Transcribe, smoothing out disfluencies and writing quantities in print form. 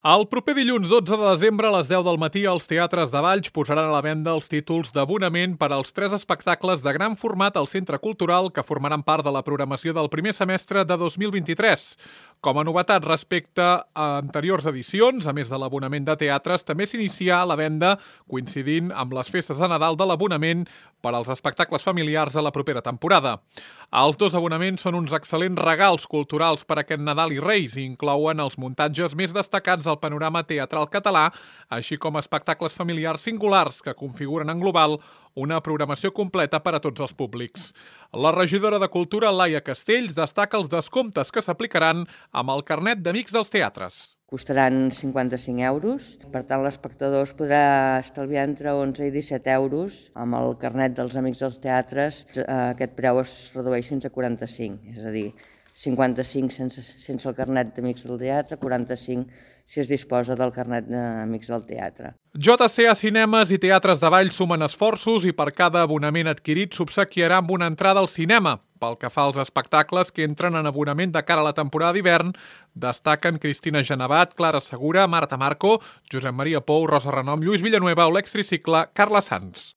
El proper dilluns 12 de desembre a les 10 del matí els teatres de Valls posaran a la venda els títols d'abonament per als 3 espectacles de gran format al Centre Cultural que formaran part de la programació del primer semestre de 2023. Com a novetat respecte a anteriors edicions, a més de l'abonament de teatres, també s'inicia la venda coincidint amb les festes de Nadal de l'abonament per als espectacles familiars a la propera temporada. Els 2 abonaments són uns excel·lents regals culturals per aquest Nadal i Reis i inclouen els muntatges més destacats del panorama teatral català, així com espectacles familiars singulars que configuren en global una programació completa per a tots els públics. La regidora de Cultura, Laia Castells, destaca els descomptes que s'aplicaran amb el carnet d'Amics dels Teatres. Costaran 55 euros, per tant l'espectador es podrà estalviar entre 11 i 17 euros. Amb el carnet dels Amics dels Teatres aquest preu es redueix fins a 45, és a dir, 55 sense el carnet d'Amics del Teatre, 45 si es disposa del carnet d'Amics del Teatre. JCA Cinemes i Teatres de Valls sumen esforços i per cada abonament adquirit s'obsequiarà amb una entrada al cinema. Pel que fa als espectacles que entren en abonament de cara a la temporada d'hivern, destaquen Cristina Genevat, Clara Segura, Marta Marco, Josep Maria Pou, Rosa Renom, Lluís Villanueva o l'extricicle Carla Sanz.